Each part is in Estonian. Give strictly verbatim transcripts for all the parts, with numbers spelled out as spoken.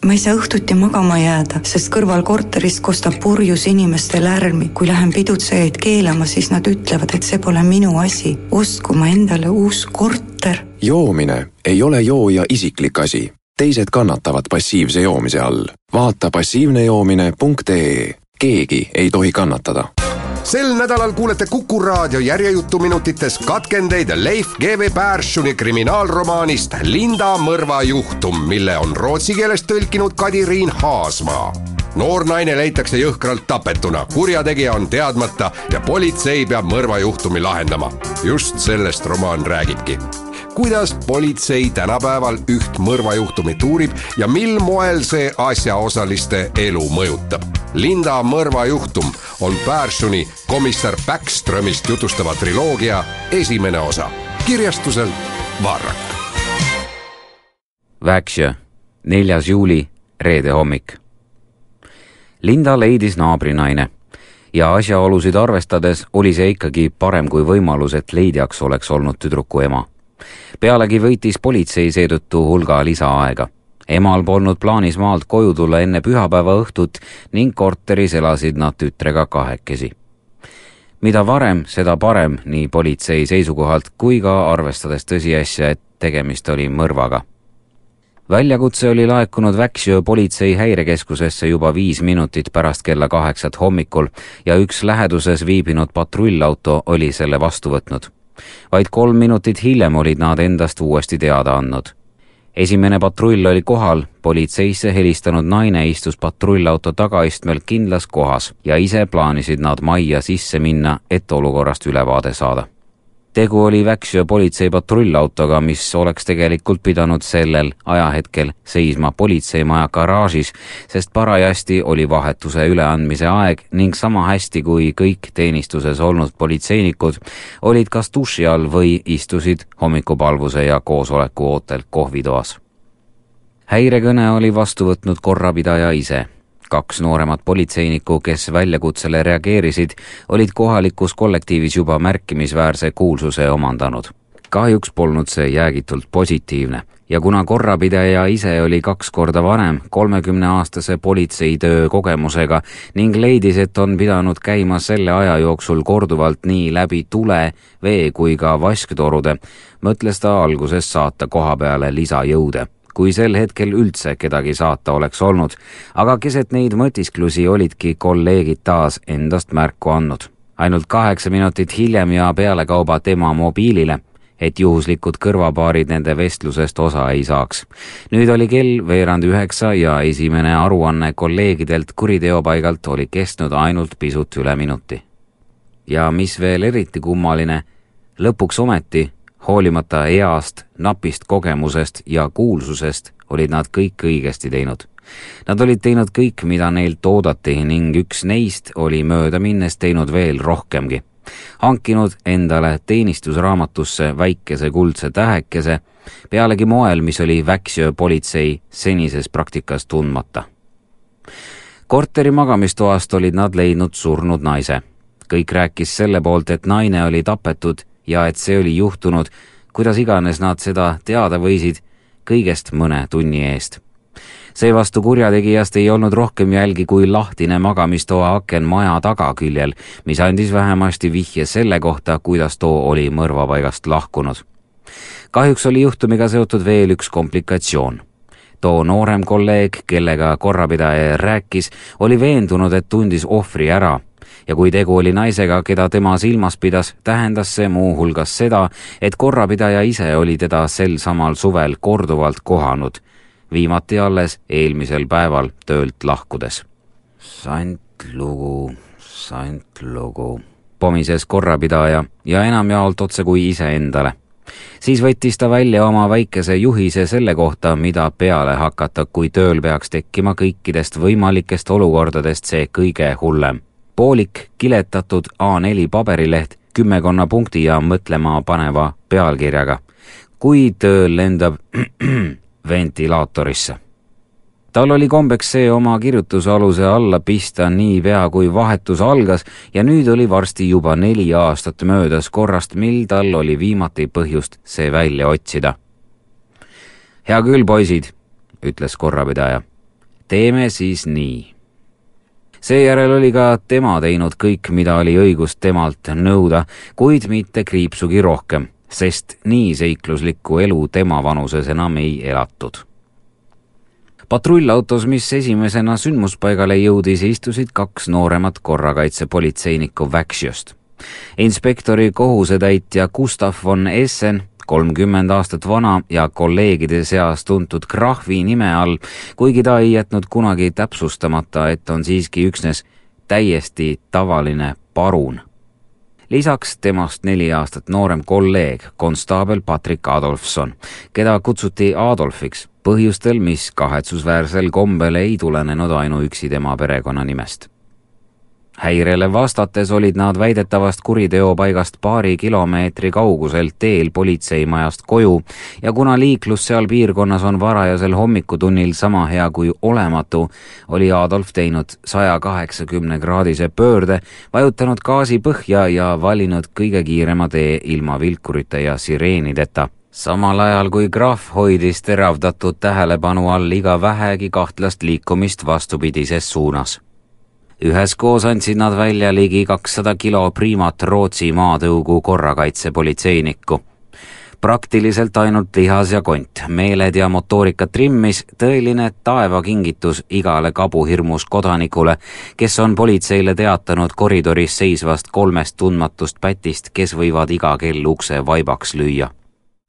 Ma ei saa õhtuti magama jääda, sest kõrval korterist kostab purjus inimeste lärmi. Kui lähen pidutsejaid keelama, siis nad ütlevad, et see pole minu asi. Ostku ma endale uus korter. Joomine ei ole jooja isiklik asi. Teised kannatavad passiivse joomise all. Vaata passiivnejoomine punkt ee. Keegi ei tohi kannatada. Sel nädalal kuulete Kuku Raadio järjejutuminutites katkendeid Leif G V Perssoni kriminaalromaanist Linda mõrva juhtum, mille on rootsi keelest tõlkinud Kadiriin Haasmaa. Noor naine leitakse jõhkralt tapetuna, kurjategija on teadmata ja politsei peab mõrva juhtumi lahendama. Just sellest romaan räägibki. Kuidas politsei tänapäeval üht mõrvajuhtumit uurib ja mil moel see asjaosaliste elu mõjutab. Linda mõrva juhtum on Perssoni komissar Backströmist jutustava triloogia esimene osa. Kirjastuselt Varrak. Väksjö, neljas juuli, reede hommik. Linda leidis naabrinaine ja asjaolusid arvestades oli see ikkagi parem kui võimalus, et leidjaks oleks olnud tüdruku ema. Pealegi võitis politsei seetõttu hulga lisaaega. Emal polnud plaanis maalt koju tulla enne pühapäeva õhtut ning korteris elasid nad tütrega kahekesi. Mida varem, seda parem nii politsei seisukohalt kui ka arvestades tõsiasja, et tegemist oli mõrvaga. Väljakutse oli laekunud Väksjö politsei häirekeskusesse juba viis minutit pärast kella kaheksat hommikul ja üks läheduses viibinud patrullauto oli selle vastu võtnud. Vaid kolm minutit hiljem olid nad endast uuesti teada andnud. Esimene patrull oli kohal, politseisse helistanud naine istus patrullauto tagaistmel kindlas kohas ja ise plaanisid nad majja sisse minna, et olukorrast ülevaade saada. Tegu oli Väksjö politsei patrullautoga, mis oleks tegelikult pidanud sellel ajahetkel seisma politseimaja garaažis, sest parajasti oli vahetuse üleandmise aeg ning sama hästi kui kõik teenistuses olnud politseinikud olid kas duši all või istusid hommikupalvuse ja koosoleku ootel kohvitoas. Häirekõne oli vastu võtnud korrapidaja ise. Kaks nooremat politseinikku, kes väljakutsele reageerisid, olid kohalikus kollektiivis juba märkimisväärse kuulsuse omandanud. Kahjuks polnud see jäägitult positiivne ja kuna korrapidaja ise oli kaks korda vanem kolmekümneaastase politseitöö kogemusega ning leidis, et on pidanud käima selle aja jooksul korduvalt nii läbi tule, vee kui ka vasktorude, mõtles ta alguses saata koha peale lisajõude. Kui sel hetkel üldse kedagi saata oleks olnud, aga keset neid mõtisklusi olidki kolleegid taas endast märku andnud. Ainult kaheksa minutit hiljem ja pealekauba tema mobiilile, et juhuslikud kõrvapaarid nende vestlusest osa ei saaks. Nüüd oli kell veerand üheksa ja esimene aruanne kolleegidelt kuriteopaigalt oli kestnud ainult pisut üle minuti. Ja mis veel eriti kummaline, lõpuks ometi hoolimata east, napist kogemusest ja kuulsusest olid nad kõik õigesti teinud. Nad olid teinud kõik, mida neilt oodati ning üks neist oli mööda minnes teinud veel rohkemgi. Hankinud endale teenistusraamatusse väikese kuldse tähekese, pealegi moel, mis oli Väksjö politsei senises praktikas tundmata. Korteri magamistoast olid nad leidnud surnud naise. Kõik rääkis selle poolt, et naine oli tapetud ja et see oli juhtunud, kuidas iganes nad seda teada võisid, kõigest mõne tunni eest. Seevastu kurjategijast ei olnud rohkem jälgi kui lahtine magamistoa aken maja tagaküljel, mis andis vähemasti vihje selle kohta, kuidas too oli mõrvapaigast lahkunud. Kahjuks oli juhtumiga seotud veel üks komplikatsioon. Too noorem kolleeg, kellega korrapidaja rääkis, oli veendunud, et tundis ohvri ära. Ja kui tegu oli naisega, keda tema silmas pidas, tähendas see muu hulgas seda, et korrapidaja ise oli teda sel samal suvel korduvalt kohanud, viimati alles eelmisel päeval töölt lahkudes. Sant lugu, sant lugu, pomises korrapidaja ja enamjaolt otse kui ise endale. Siis võttis ta välja oma väikese juhise selle kohta, mida peale hakata, kui tööl peaks tekkima kõikidest võimalikest olukordadest see kõige hullem. Poolik kiletatud A neli paberileht kümmekonna punkti ja mõtlema paneva pealkirjaga. Kui tööl lendab ventilaatorisse. Tal oli kombeks see oma kirjutusaluse alla pista nii pea, kui vahetus algas ja nüüd oli varsti juba neli aastat möödas korrast, mil tal oli viimati põhjust see välja otsida. Hea küll, poisid, ütles korrapidaja. teeme siis nii. Seejärel oli ka tema teinud kõik, mida oli õigust temalt nõuda, kuid mitte kriipsugi rohkem, sest nii seikluslikku elu tema vanuses enam ei elatud. Patrullautos, mis esimesena sündmuspaigale jõudis, istusid kaks nooremat korrakaitsepolitseinikku Väksjöst. Inspektori kohusetäitja Gustav von Essen, kolmkümmend aastat vana ja kolleegide seas tuntud Krahvi nime all, kuigi ta ei jätnud kunagi täpsustamata, et on siiski üksnes täiesti tavaline parun. Lisaks temast neli aastat noorem kolleeg, konstaabel Patrick Adolfson, keda kutsuti Adolfiks põhjustel, mis kahetsusväärsel kombel ei tulenenud ainuüksi tema perekonnanimest. Häirele vastates olid nad väidetavast kuriteopaigast paari kilomeetri kauguselt teel politseimajast koju ja kuna liiklus seal piirkonnas on varajasel hommikutunnil sama hea kui olematu, oli Adolf teinud saja kaheksakümne kraadise pöörde, vajutanud gaasi põhja ja valinud kõige kiirema tee ilma vilkurite ja sireenideta. Samal ajal kui Graf hoidis teravdatud tähelepanu all iga vähegi kahtlast liikumist vastupidises suunas. Üheskoos andsid nad välja ligi kakssada kilo priimat Rootsi maatõugu korrakaitsepolitseinikku. Praktiliselt ainult lihas ja kont, meeled ja motoorika trimmis, tõeline taevakingitus igale kabuhirmus kodanikule, kes on politseile teatanud koridoris seisvast kolmest tundmatust pätist, kes võivad iga kell ukse vaibaks lüüa.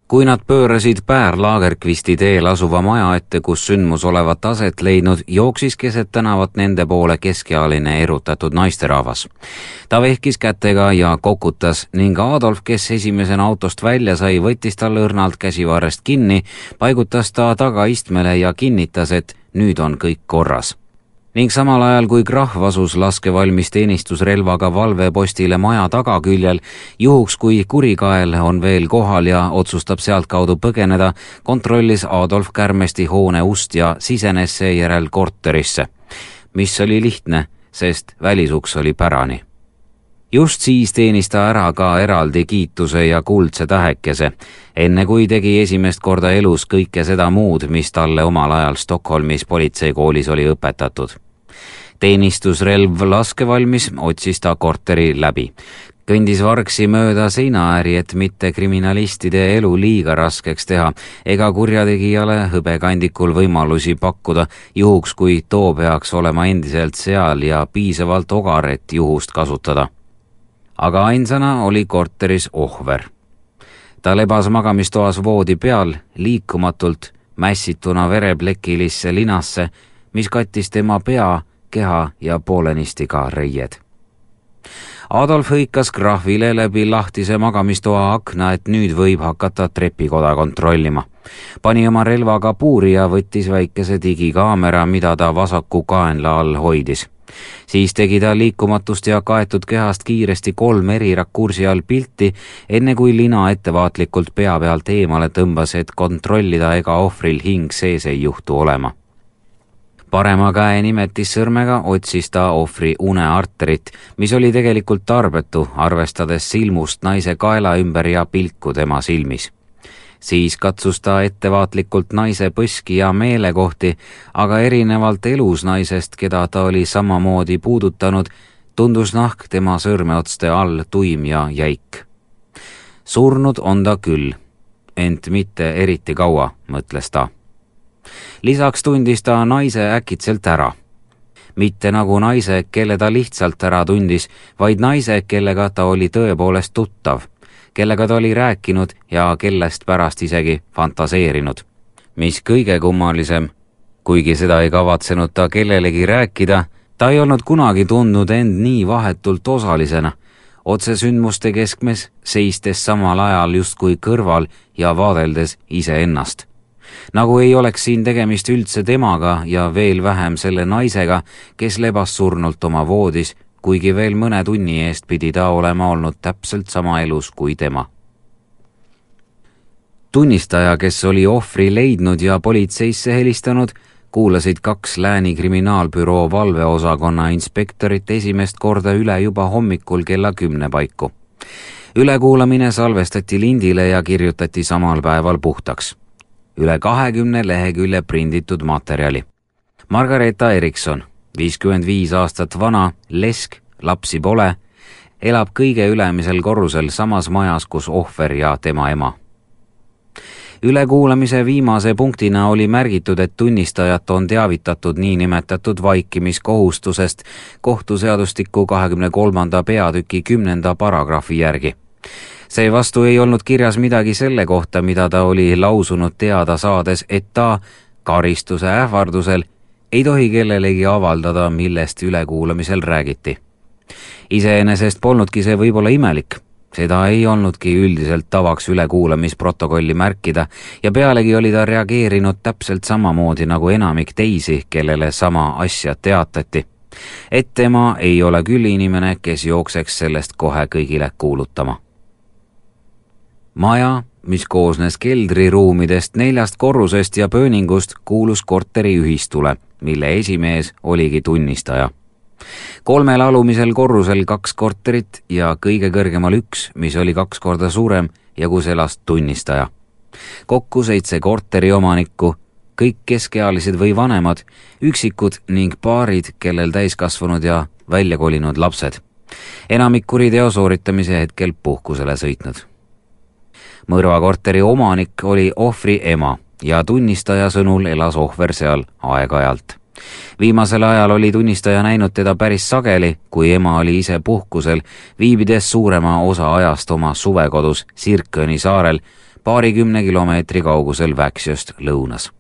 Kui nad pöörasid Päär Lagerkvisti teel asuva maja ette, kus sündmus olevat aset leidnud, jooksis keset tänavat nende poole keskealine erutatud naisterahvas. Ta vehkis kätega ja kokutas ning Adolf, kes esimesena autost välja sai, võttis tal õrnalt käsivarrest kinni, paigutas ta tagaistmele ja kinnitas, et nüüd on kõik korras. Ning samal ajal, kui Krahv asus laskevalmis teenistusrelvaga valvepostile maja tagaküljel, juhuks kui kurikael on veel kohal ja otsustab sealtkaudu põgeneda, kontrollis Adolf Kärmesti hoone ust ja sisenes seejärel korterisse, mis oli lihtne, sest välisuks oli pärani. Just siis teenis ta ära ka eraldi kiituse ja kuldse tähekese, enne kui tegi esimest korda elus kõike seda muud, mis talle omal ajal Stockholmis politseikoolis oli õpetatud. Teenistusrelv laskevalmis otsis ta korteri läbi. Kõndis vargsi mööda seinaääri, et mitte kriminalistide elu liiga raskeks teha ega kurjategijale hõbekandikul võimalusi pakkuda, juhuks kui too peaks olema endiselt seal ja piisavalt ogar, et juhust kasutada. Aga ainsana oli korteris ohver. Ta lebas magamistoas voodi peal, liikumatult mässituna vereplekilisse linasse, mis kattis tema pea, keha ja poolenisti ka reied. Adolf hõikas Krahvile läbi lahtise magamistoa akna, et nüüd võib hakata trepikoda kontrollima. Pani oma relvaga puuri ja võttis väikese digikaamera, mida ta vasaku kaenla all hoidis. Siis tegi ta liikumatust ja kaetud kehast kiiresti kolm eri rakursi all pilti, enne kui lina ettevaatlikult pea pealt eemale tõmbas, et kontrollida, ega ohvril hing sees ei juhtu olema. Parema käe nimetissõrmega otsis ta ohvri unearterit, mis oli tegelikult tarbetu, arvestades silmust naise kaela ümber ja pilku tema silmis. Siis katsus ta ettevaatlikult naise põski ja meelekohti, aga erinevalt elus naisest, keda ta oli samamoodi puudutanud, tundus nahk tema sõrmeotste all tuim ja jäik. Surnud on ta küll, ent mitte eriti kaua, mõtles ta. Lisaks tundis ta naise äkitselt ära. Mitte nagu naise, kelle ta lihtsalt ära tundis, vaid naise, kellega ta oli tõepoolest tuttav, kellega ta oli rääkinud ja kellest pärast isegi fantaseerinud. Mis kõige kummalisem, kuigi seda ei kavatsenud ta kellelegi rääkida, ta ei olnud kunagi tundnud end nii vahetult osalisena, otse sündmuste keskmes, seistes samal ajal justkui kõrval ja vaadeldes iseennast. Nagu ei oleks siin tegemist üldse temaga ja veel vähem selle naisega, kes lebas surnult oma voodis, kuigi veel mõne tunni eest pidi ta olema olnud täpselt sama elus kui tema. Tunnistaja, kes oli ohvri leidnud ja politseisse helistanud, kuulasid kaks Lääni kriminaalbüroo valveosakonna inspektorit esimest korda üle juba hommikul kella kümne paiku. Ülekuulamine salvestati lindile ja kirjutati samal päeval puhtaks. Üle kahekümne lehekülje prinditud materjali. Margareeta Erikson, viiskümmend viis aastat vana, lesk, lapsi pole, elab kõige ülemisel korrusel samas majas, kus ohver ja tema ema. Ülekuulamise viimase punktina oli märgitud, et tunnistajat on teavitatud niinimetatud vaikimiskohustusest kohtuseadustiku kahekümne kolmanda peatüki kümnenda paragrahvi järgi. Seevastu ei olnud kirjas midagi selle kohta, mida ta oli lausunud teada saades, et ta karistuse ähvardusel ei tohi kellelegi avaldada, millest ülekuulamisel räägiti. Iseenesest polnudki see võib-olla imelik. Seda ei olnudki üldiselt tavaks ülekuulamisprotokolli märkida ja pealegi oli ta reageerinud täpselt samamoodi nagu enamik teisi, kellele sama asja teatati. Et tema ei ole küll inimene, kes jookseks sellest kohe kõigile kuulutama. Maja, mis koosnes keldriruumidest, neljast korrusest ja pööningust, kuulus korteri ühistule, mille esimees oligi tunnistaja. Kolmel alumisel korrusel kaks korterit ja kõige kõrgemal üks, mis oli kaks korda suurem ja kus elas tunnistaja. Kokku seitse korteri omanikku, kõik keskealised või vanemad, üksikud ning paarid, kellel täiskasvanud ja välja kolinud lapsed. Enamik kuriteo sooritamise hetkel puhkusele sõitnud. Mõrvakorteri omanik oli ohvri ema ja tunnistaja sõnul elas ohver seal aeg-ajalt. Viimasel ajal oli tunnistaja näinud teda päris sageli, kui ema oli ise puhkusel, viibides suurema osa ajast oma suvekodus Sirköni saarel, paarikümne kilomeetri kaugusel Väksjöst lõunas.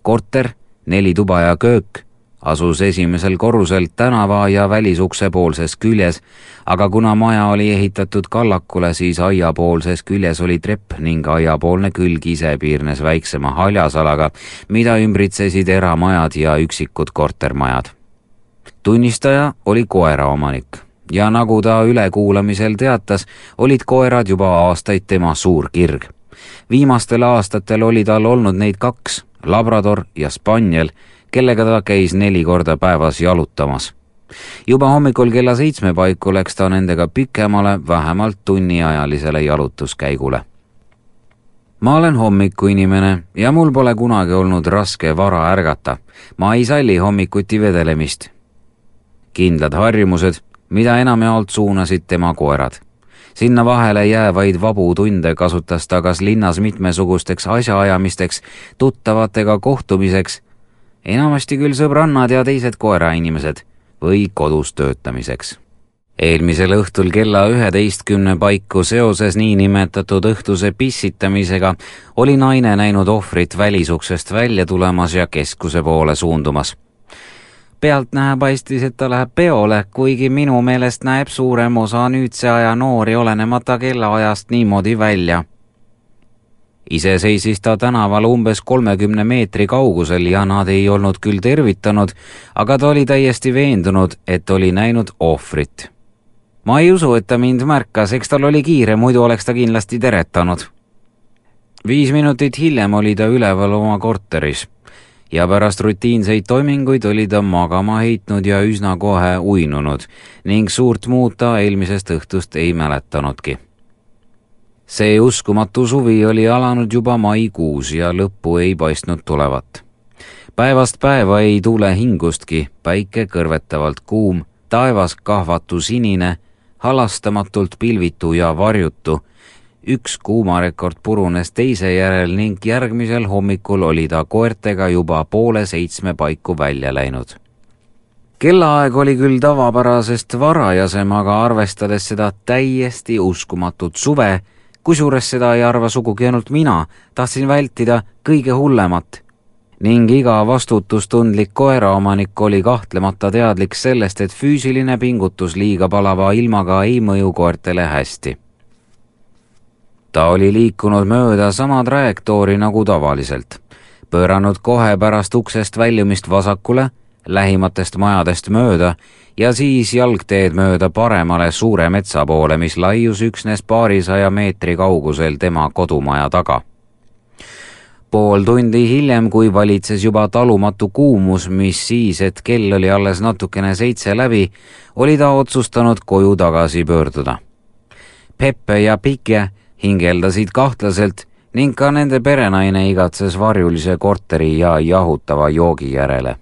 Korter, neli tuba ja köök, asus esimesel korrusel tänava ja välisukse poolses küljes, aga kuna maja oli ehitatud kallakule, siis aiapoolses küljes oli trepp ning aiapoolne külg ise piirnes väiksema haljasalaga, mida ümbritsesid eramajad ja üksikud kortermajad. Tunnistaja oli koera omanik ja nagu ta ülekuulamisel teatas, olid koerad juba aastaid tema suur kirg. Viimastel aastatel oli tal olnud neid kaks, Labrador ja Spaniel, kellega ta käis neli korda päevas jalutamas. Juba hommikul kella seitsme paiku läks ta nendega pikemale, vähemalt tunniajalisele jalutuskäigule. Ma olen hommikuinimene ja mul pole kunagi olnud raske vara ärgata. Ma ei salli hommikuti vedelemist. Kindlad harjumused, mida enamjaolt suunasid tema koerad. Sinna vahele jäävaid vabu tunde kasutas ta kas linnas mitmesugusteks asjaajamisteks, tuttavatega kohtumiseks, enamasti küll sõbrannad ja teised koerainimesed või kodus töötamiseks. Eelmisel õhtul kella üheteistkümne paiku seoses niinimetatud õhtuse pissitamisega oli naine näinud ohvrit välisuksest välja tulemas ja keskuse poole suundumas. Pealtnäha paistis, et ta läheb peole, kuigi minu meelest näeb suurem osa nüüdse aja noori olenemata kellaajast niimoodi välja. Ise seisis ta tänaval umbes kolmekümne meetri kaugusel ja nad ei olnud küll tervitanud, aga ta oli täiesti veendunud, et oli näinud ohvrit. Ma ei usu, et ta mind märkas, eks tal oli kiire, muidu oleks ta kindlasti teretanud. Viis minutit hiljem oli ta üleval oma korteris ja pärast rutiinseid toiminguid oli ta magama heitnud ja üsna kohe uinunud ning suurt muud ta eelmisest õhtust ei mäletanudki. See uskumatu suvi oli alanud juba maikuus ja lõppu ei paistnud tulevat. Päevast päeva ei tuule hingustki, päike kõrvetavalt kuum, taevas kahvatu sinine, halastamatult pilvitu ja varjutu. Üks kuumarekord purunes teise järel ning järgmisel hommikul oli ta koertega juba poole seitsme paiku välja läinud. Kellaaeg oli küll tavapärasest varajasem, aga arvestades seda täiesti uskumatut suve, kusjuures seda ei arva sugugi ainult mina, tahtsin vältida kõige hullemat. Ning iga vastutustundlik koeraomanik oli kahtlemata teadlik sellest, et füüsiline pingutus liiga palava ilmaga ei mõju koertele hästi. Ta oli liikunud mööda sama trajektoori nagu tavaliselt, pööranud kohe pärast uksest väljumist vasakule, lähimatest majadest mööda ja siis jalgteed mööda paremale suure metsa poole, mis laius üksnes paarisaja meetri kaugusel tema kodumaja taga. Pool tundi hiljem, kui valitses juba talumatu kuumus, mis siis, et kell oli alles natukene seitse läbi, oli ta otsustanud koju tagasi pöörduda. Peppe ja Pike hingeldasid kahtlaselt ning ka nende perenaine igatses varjulise korteri ja jahutava joogi järele.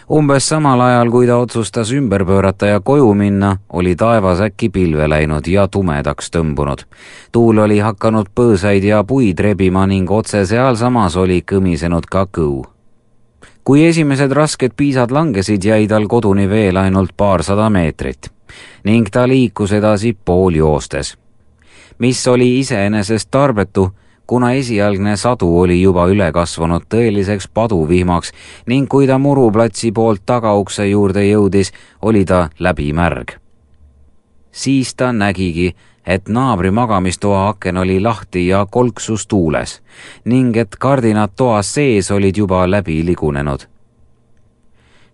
Umbes samal ajal, kui ta otsustas ümber pöörata ja koju minna, oli taevas äkki pilve läinud ja tumedaks tõmbunud. Tuul oli hakanud põõsaid ja puid rebima ning otse sealsamas oli kõmisenud ka kõu. Kui esimesed rasked piisad langesid, jäi tal koduni veel ainult paarsada meetrit ning ta liikus edasi pool joostes, mis oli iseenesest tarbetu, kuna esialgne sadu oli juba üle kasvanud tõeliseks paduvihmaks ning kui ta muruplatsi poolt tagaukse juurde jõudis, oli ta läbi märg. Siis ta nägigi, et naabri magamistoa aken oli lahti ja kolksus tuules ning et kardinad toas sees olid juba läbi ligunenud.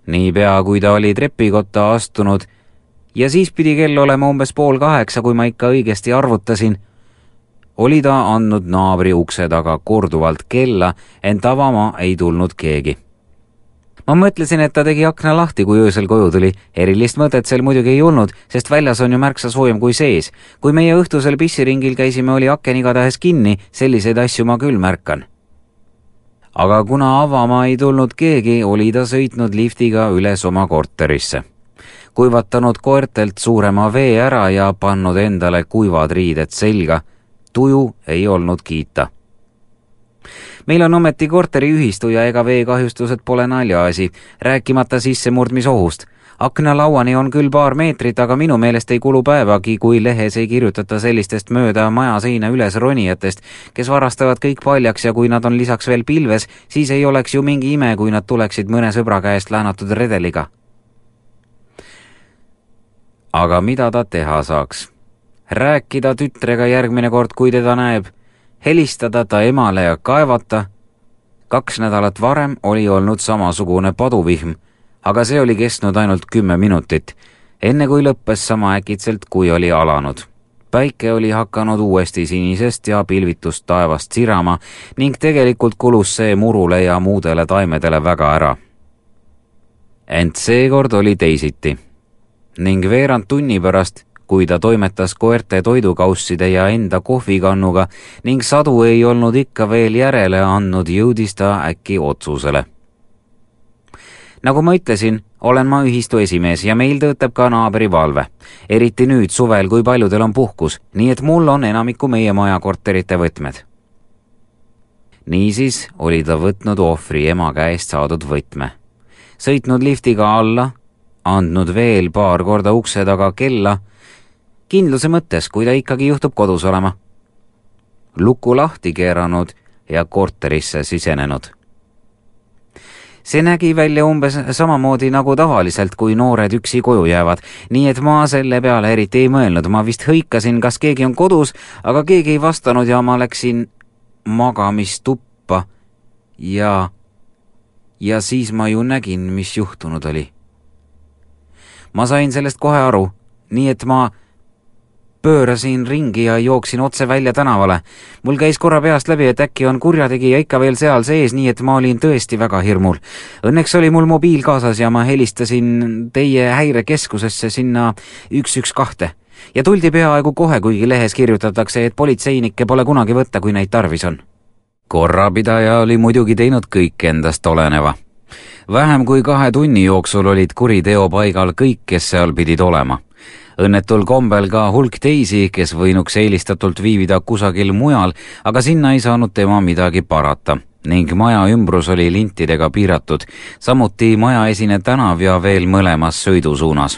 Niipea, kui ta oli trepikotta astunud ja siis pidi kell olema umbes pool kaheksa, kui ma ikka õigesti arvutasin, oli ta andnud naabri ukse taga korduvalt kella, ent avama ei tulnud keegi. Ma mõtlesin, et ta tegi akna lahti, kui öösel koju tuli. Erilist mõtet sel muidugi ei olnud, sest väljas on ju märksa soojem kui sees. Kui meie õhtusel pissiringil käisime, oli aken igatahes kinni, selliseid asju ma küll märkan. Aga kuna avama ei tulnud keegi, oli ta sõitnud liftiga üles oma korterisse, kuivatanud koertelt suurema vee ära ja pannud endale kuivad riided selga. Tuju ei olnud kiita. Meil on ometi korteriühistu ja ega veekahjustused pole naljaasi, rääkimata sissemurdmisohust. Aknalauani on küll paar meetrit, aga minu meelest ei kulu päevagi, kui lehes ei kirjutata sellistest mööda maja seina üles ronijatest, kes varastavad kõik paljaks ja kui nad on lisaks veel pilves, siis ei oleks ju mingi ime, kui nad tuleksid mõne sõbra käest laenatud redeliga. Aga mida ta teha saaks? Rääkida tütrega järgmine kord, kui teda näeb, helistada ta emale ja kaevata. Kaks nädalat varem oli olnud samasugune paduvihm, aga see oli kestnud ainult kümme minutit, enne kui lõppes sama äkitselt, kui oli alanud. Päike oli hakanud uuesti sinisest ja pilvitust taevast sirama ning tegelikult kulus see murule ja muudele taimedele väga ära. Ent seekord oli teisiti ning veerand tunni pärast, kui ta toimetas koerte toidukausside ja enda kohvikannuga ning sadu ei olnud ikka veel järele andnud, jõudis ta äkki otsusele. Nagu ma ütlesin, olen ma ühistu esimees ja meil töötab ka naabri valve. Eriti nüüd suvel, kui paljudel on puhkus, nii et mul on enamiku meie maja korterite võtmed. Niisiis oli ta võtnud ohvri ema käest saadud võtme, sõitnud liftiga alla, andnud veel paar korda ukse taga kella, kindluse mõttes, kui ta ikkagi juhtub kodus olema. Luku lahti keeranud ja korterisse sisenenud. See nägi välja umbes samamoodi nagu tavaliselt, kui noored üksi koju jäävad, nii et ma selle peale eriti ei mõelnud. Ma vist hõikasin, kas keegi on kodus, aga keegi ei vastanud ja ma läksin magamistuppa ja, ja siis ma ju nägin, mis juhtunud oli. Ma sain sellest kohe aru, nii et ma pöörasin ringi ja jooksin otse välja tänavale. Mul käis korra peast läbi, et äkki on kurjategija ikka veel seal sees, nii et ma olin tõesti väga hirmul. Õnneks oli mul mobiil kaasas ja ma helistasin teie häirekeskusesse sinna üks üks kaks ja tuldi peaaegu kohe, kuigi lehes kirjutatakse, et politseinikke pole kunagi võtta, kui neid tarvis on. Korrapidaja oli muidugi teinud kõik endast oleneva. Vähem kui kahe tunni jooksul olid kuriteo paigal kõik, kes seal pidid olema. Õnnetul kombel ka hulk teisi, kes võinuks eelistatult viivida kusagil mujal, aga sinna ei saanud tema midagi parata ning maja ümbrus oli lintidega piiratud, samuti maja esine tänav ja veel mõlemas sõidusuunas.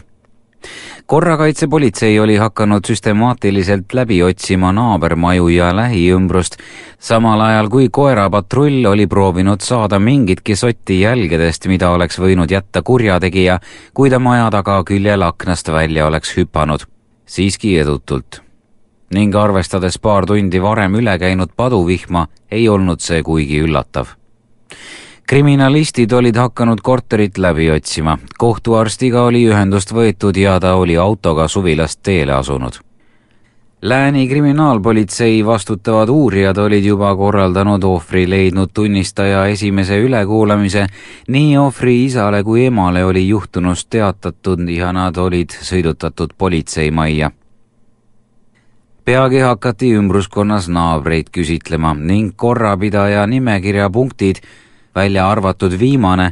Korrakaitsepolitsei oli hakanud süstemaatiliselt läbi otsima naabermaju ja lähiümbrust, samal ajal kui koerapatrull oli proovinud saada mingitki sotti jälgedest, mida oleks võinud jätta kurjategija, kui ta maja taga küljel aknast välja oleks hüpanud. Siiski edutult. Ning arvestades paar tundi varem üle käinud paduvihma, ei olnud see kuigi üllatav. Kriminalistid olid hakanud korterit läbi otsima. Kohtuarstiga oli ühendust võetud ja ta oli autoga suvilast teele asunud. Lääni kriminaalpolitsei vastutavad uurijad olid juba korraldanud ohvri leidnud tunnistaja esimese ülekuulamise, nii ohvri isale kui emale oli juhtunust teatatud ja nad olid sõidutatud politseimajja. peagi hakati ümbruskonnas naabreid küsitlema ning korrapidaja nimekirja punktid, välja arvatud viimane,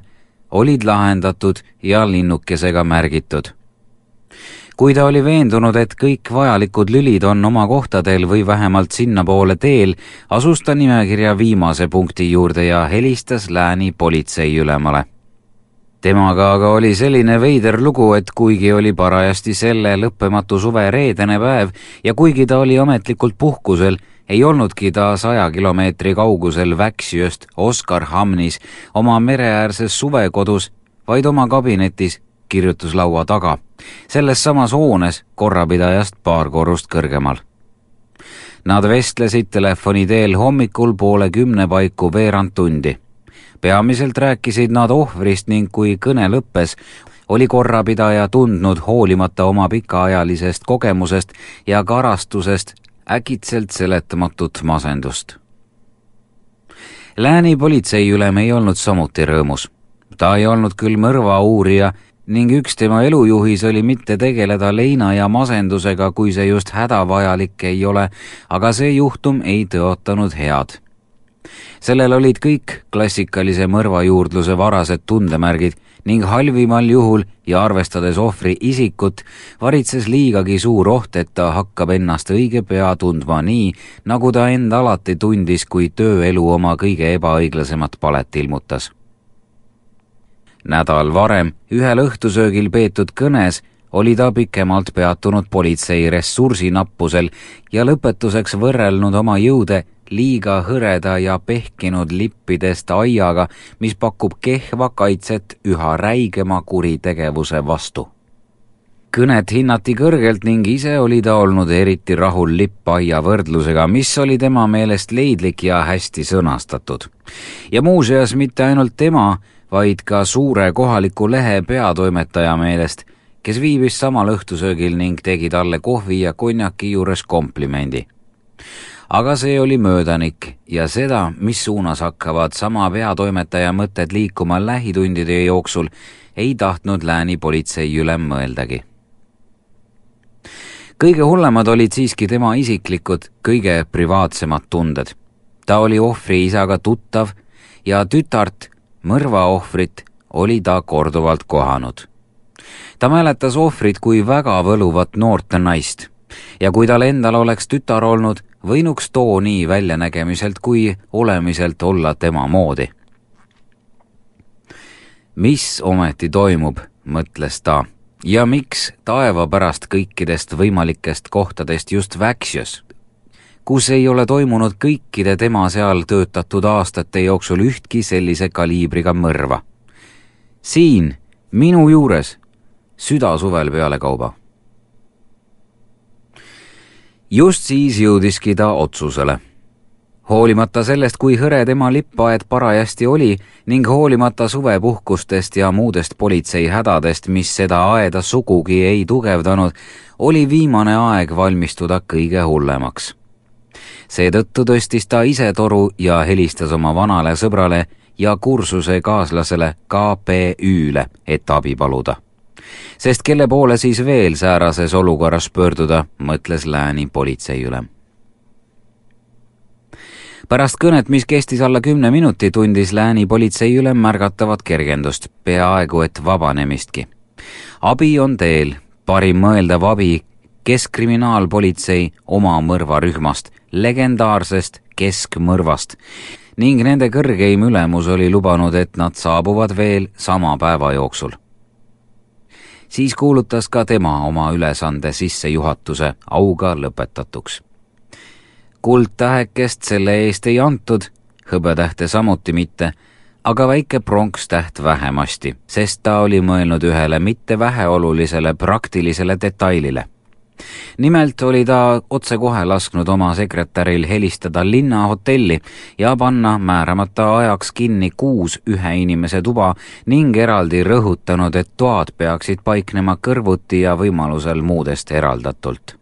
olid lahendatud ja linnukesega märgitud. Kui ta oli veendunud, et kõik vajalikud lülid on oma kohtadel või vähemalt sinnapoole teel, asus ta nimekirja viimase punkti juurde ja helistas Lääni politseiülemale. Temaga aga oli selline veider lugu, et kuigi oli parajasti selle lõppematu suve reedene päev ja kuigi ta oli ametlikult puhkusel, ei olnudki ta saja kilomeetri kaugusel Väksjöst Oskarhamnis oma mereäärses suvekodus, vaid oma kabinetis kirjutuslaua taga, selles samas hoones korrapidajast paar korrust kõrgemal. Nad vestlesid telefoni teel hommikul poole kümne paiku veerand tundi. Peamiselt rääkisid nad ohvrist ning kui kõne lõppes, oli korrapidaja tundnud hoolimata oma pikaajalisest kogemusest ja karastusest äkitselt seletamatut masendust. Lääni politseiülem ei olnud samuti rõõmus. Ta ei olnud küll mõrva uurija ning üks tema elujuhis oli mitte tegeleda leina ja masendusega, kui see just hädavajalik ei ole, aga see juhtum ei tõotanud head. Sellel olid kõik klassikalise mõrvajuurdluse varased tundemärgid ning halvimal juhul ja arvestades ohvri isikut, varitses liigagi suur oht, et ta hakkab ennast õige pea tundma nii, nagu ta end alati tundis, kui tööelu oma kõige ebaõiglasemat palet ilmutas. Nädal varem ühel õhtusöögil peetud kõnes oli ta pikemalt peatunud politsei ressursinappusel ja lõpetuseks võrrelnud oma jõude liiga hõreda ja pehkinud lippidest aiaga, mis pakub kehva kaitset üha räigema kuritegevuse vastu. Kõnet hinnati kõrgelt ning ise oli ta olnud eriti rahul lippaia võrdlusega, mis oli tema meelest leidlik ja hästi sõnastatud. Ja muuseas mitte ainult tema, vaid ka suure kohaliku lehe peatoimetaja meelest, kes viibis samal õhtusöögil ning tegi talle kohvi ja konjaki juures komplimendi. Aga see oli möödanik ja seda, mis suunas hakkavad sama peatoimetaja mõtted liikuma lähitundide jooksul, ei tahtnud Lääni politseiülem mõeldagi. Kõige hullemad olid siiski tema isiklikud, kõige privaatsemad tunded. Ta oli ohvri isaga tuttav ja tütart, mõrva ohvrit, oli ta korduvalt kohanud. Ta mäletas ohvrit kui väga võluvat noort naist ja kui tal endal oleks tütar olnud, võinuks too nii väljanägemiselt kui olemiselt olla tema moodi. Mis ometi toimub, mõtles ta, ja miks taeva pärast kõikidest võimalikest kohtadest just Väksjös, kus ei ole toimunud kõikide tema seal töötatud aastate jooksul ühtki sellise kaliibriga mõrva. Siin, minu juures, süda suvel peale kauba. Just siis jõudiski ta otsusele. Hoolimata sellest, kui hõre tema lippaed parajasti oli ning hoolimata suvepuhkustest ja muudest politsei hädadest, mis seda aeda sugugi ei tugevdanud, oli viimane aeg valmistuda kõige hullemaks. Seetõttu tõstis ta ise toru ja helistas oma vanale sõbrale ja kursuse kaaslasele K P Ü'le, et abi paluda. Sest kelle poole siis veel säärases olukorras pöörduda, mõtles Lääni politseiülem. Pärast kõnet, mis kestis alla kümne minuti, tundis Lääni politseiülem märgatavat kergendust, peaaegu et vabanemistki. Abi on teel, parim mõeldav abi keskkriminaalpolitsei oma mõrvarühmast, legendaarsest keskmõrvast, ning nende kõrgeim ülemus oli lubanud, et nad saabuvad veel sama päeva jooksul. Siis kuulutas ka tema oma ülesande sissejuhatuse auga lõpetatuks. Kuldtähekest selle eest ei antud, hõbetähte samuti mitte, aga väike pronkstäht vähemasti, sest ta oli mõelnud ühele mitte väheolulisele praktilisele detailile. Nimelt oli ta otsekohe lasknud oma sekretäril helistada linnahotelli ja panna määramata ajaks kinni kuus ühe inimese tuba ning eraldi rõhutanud, et toad peaksid paiknema kõrvuti ja võimalusel muudest eraldatult.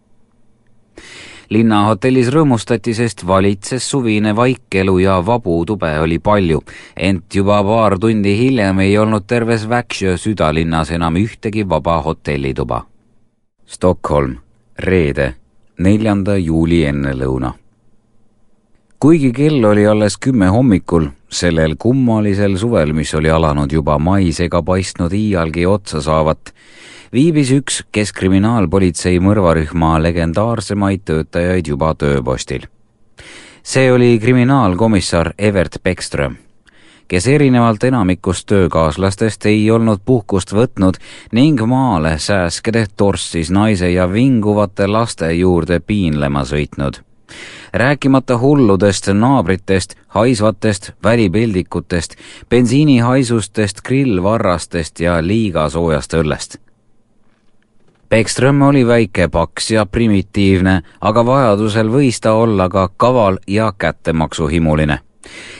Linnahotellis rõõmustati, sest valitses suvine vaikelu ja vabu tube oli palju, ent juba paar tundi hiljem ei olnud terves Väksjö südalinnas enam ühtegi vaba hotellituba. Stockholm, reede, neljanda juuli ennelõuna. Kuigi kell oli alles kümme hommikul, sellel kummalisel suvel, mis oli alanud juba mais ega paistnud iialgi otsa saavat, viibis üks keskkriminaalpolitsei mõrvarühma legendaarsemaid töötajaid juba tööpostil. See oli kriminaalkomissar Evert Beckström, kes erinevalt enamikust töökaaslastest ei olnud puhkust võtnud ning maale sääskede torssis naise ja vinguvate laste juurde piinlema sõitnud. Rääkimata hulludest naabritest, haisvatest välipildikutest, bensiinihaisustest, grillvarrastest ja liiga soojast õllest. Beckström oli väike, paks ja primitiivne, aga vajadusel võis ta olla ka kaval ja kättemaksuhimuline.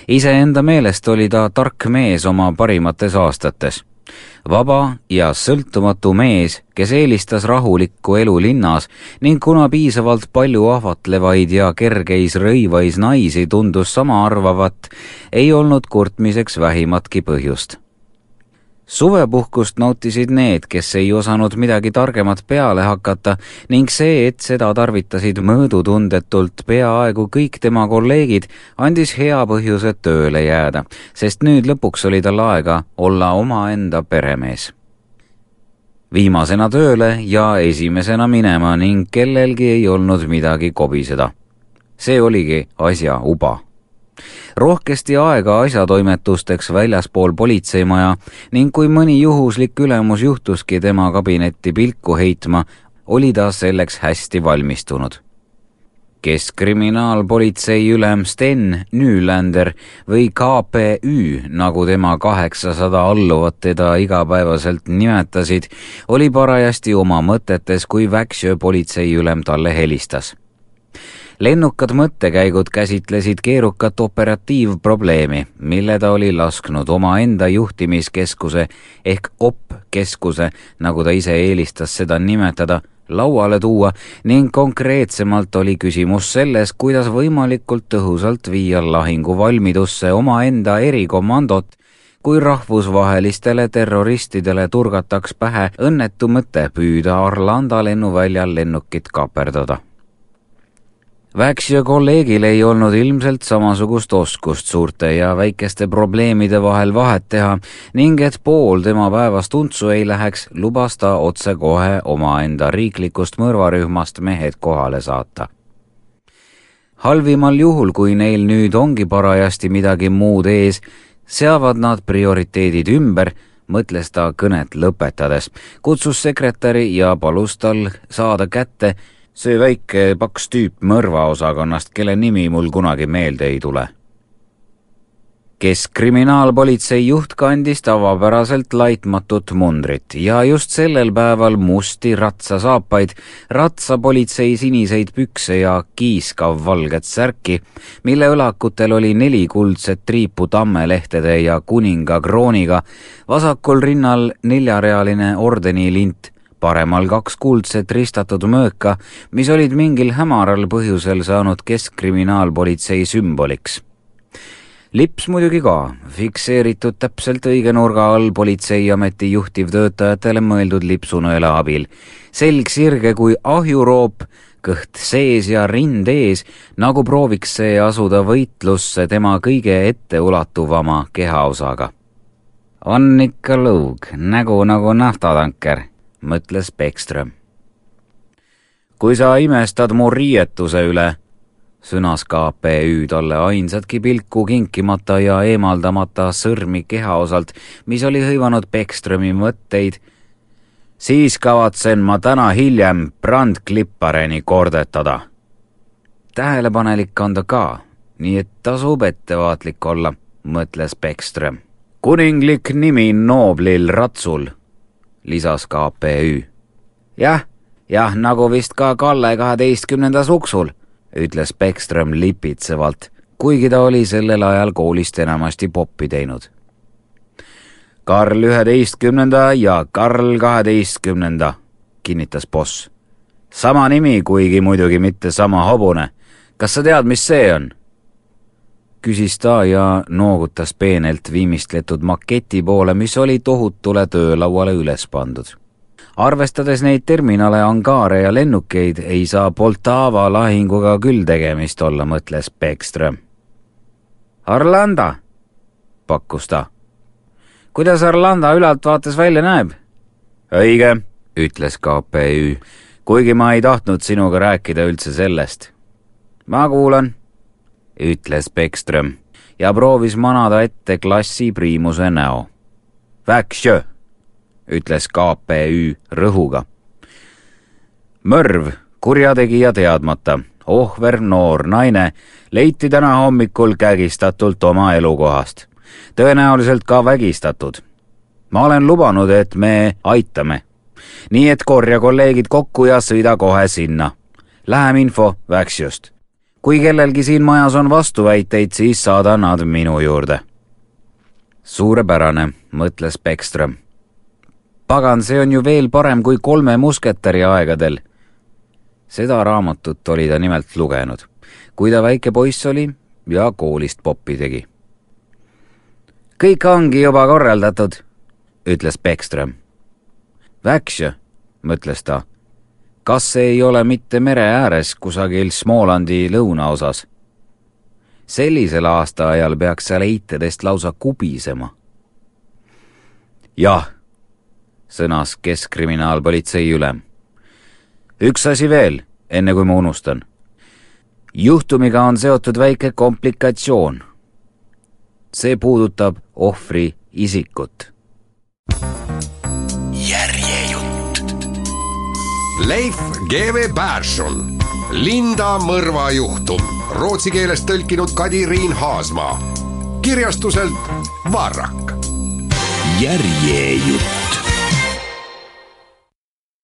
Iseenda meelest oli ta tark mees oma parimates aastates. Vaba ja sõltumatu mees, kes eelistas rahulikku elu linnas ning kuna piisavalt palju ahvatlevaid ja kergeis rõivais naisi tundus sama arvavat, ei olnud kurtmiseks vähimatki põhjust. Suvepuhkust nautisid need, kes ei osanud midagi targemat peale hakata ning see, et seda tarvitasid mõõdutundetult peaaegu kõik tema kolleegid, andis hea põhjuse tööle jääda, sest nüüd lõpuks oli tal aega olla omaenda peremees. Viimasena tööle ja esimesena minema ning kellelgi ei olnud midagi kobiseda. See oligi asja uba. Rohkesti aega asjatoimetusteks väljaspool politseimaja ning kui mõni juhuslik ülemus juhtuski tema kabinetti pilku heitma, oli ta selleks hästi valmistunud. Keskkriminaalpolitsei ülem Sten Nylander või K P Ü, nagu tema kaheksasada alluvat teda igapäevaselt nimetasid, oli parajasti oma mõtetes, kui Väksjö politsei ülem talle helistas. Lennukad mõttekäigud käsitlesid keerukat operatiivprobleemi, mille ta oli lasknud oma enda juhtimiskeskuse ehk O P-keskuse, nagu ta ise eelistas seda nimetada, lauale tuua ning konkreetsemalt oli küsimus selles, kuidas võimalikult tõhusalt viia lahinguvalmidusse oma enda erikomandot, kui rahvusvahelistele terroristidele turgataks pähe õnnetu mõte püüda Arlanda lennuväljal lennukit kaperdada. Väksjö kolleegil ei olnud ilmselt samasugust oskust suurte ja väikeste probleemide vahel vahet teha ning et pool tema päevast untsu ei läheks, lubas ta otse kohe omaenda riiklikust mõrvarühmast mehed kohale saata. Halvimal juhul, kui neil nüüd ongi parajasti midagi muud ees, seavad nad prioriteedid ümber, mõtles ta kõnet lõpetades, kutsus sekretäri ja palus tal saada kätte see väike paks tüüp mõrvaosakonnast, kelle nimi mul kunagi meelde ei tule. Keskkriminaalpolitsei juht kandis tavapäraselt laitmatut mundrit ja just sellel päeval musti ratsasaapaid, ratsapolitsei siniseid pükse ja kiiskav valget särki, mille õlakutel oli neli kuldset triipu tammelehtede ja kuninga krooniga, vasakul rinnal neljarealine ordenilint, paremal kaks kuldset ristatud mööka, mis olid mingil hämaral põhjusel saanud keskkriminaalpolitsei sümboliks. Lips muidugi ka, fikseeritud täpselt õige nurga all politseiameti juhtivtöötajatele mõeldud lipsunõela abil. Selg sirge kui ahjuroop, kõht sees ja rind ees, nagu prooviks see asuda võitlusse tema kõige etteulatuvama kehaosaga. On ikka lõug, nägu nagu naftatanker, mõtles Beckström. Kui sa imestad mu riietuse üle, sõnas K P Ü talle ainsatki pilku kinkimata ja eemaldamata sõrmi kehaosalt, mis oli hõivanud Beckströmi mõtteid, siis kavatsen ma täna hiljem brandklippareni kordetada. Tähelepanelik on ta ka, nii et tasub ettevaatlik olla, mõtles Beckström. Kuninglik nimi nooblil ratsul, lisas K P Ü. Jah, jah, nagu vist ka Kalle kaheteistkümnenda suksul, ütles Beckström lipitsevalt, kuigi ta oli sellel ajal koolist enamasti poppi teinud. Karl üheteistkümnenda ja Karl kaheteistkümnenda, kinnitas boss. Sama nimi, kuigi muidugi mitte sama hobune. Kas sa tead, mis see on? Küsis ta ja noogutas peenelt viimistletud maketi poole, mis oli tohutule töölauale üles pandud. arvestades neid terminale, angaare ja lennukeid, ei saa Poltava lahinguga küll tegemist olla, mõtles Beckström. Arlanda, pakkus ta. Kuidas Arlanda ülaltvaates välja näeb? Õige, ütles K P Ü, kuigi ma ei tahtnud sinuga rääkida üldse sellest. Ma kuulan, ütles Beckström ja proovis manada ette klassi priimuse näo. Väksjö, ütles K P Ü rõhuga. Mõrv, kurjategija teadmata, ohver noor naine, leiti täna hommikul kägistatult oma elukohast. Tõenäoliselt ka vägistatud. Ma olen lubanud, et me aitame. Nii et korja kolleegid kokku ja sõida kohe sinna. Lähem info Väksjöst. Kui kellelgi siin majas on vastuväiteid, siis saada nad minu juurde. Suurepärane, mõtles Beckström. Pagan, see on ju veel parem kui kolme musketäri aegadel. Seda raamatut oli ta nimelt lugenud, kui ta väike poiss oli ja koolist poppi tegi. Kõik ongi juba korraldatud, ütles Beckström. Väksjö, mõtles ta. Kas see ei ole mitte mere ääres kusagil Smolandi lõunaosas? Sellisel aastaajal peaks seal eitedest lausa kubisema. Jah, sõnas keskkriminaalpolitsei ülem. Üks asi veel, enne kui ma unustan. Juhtumiga on seotud väike komplikatsioon. See puudutab ohvri isikut. Järjejutt. Leif G V Persson, Linda mõrvajuhtum, rootsi keelest tõlkinud Kadi-Riin Haasmaa, kirjastuselt Varrak. Järjejutt.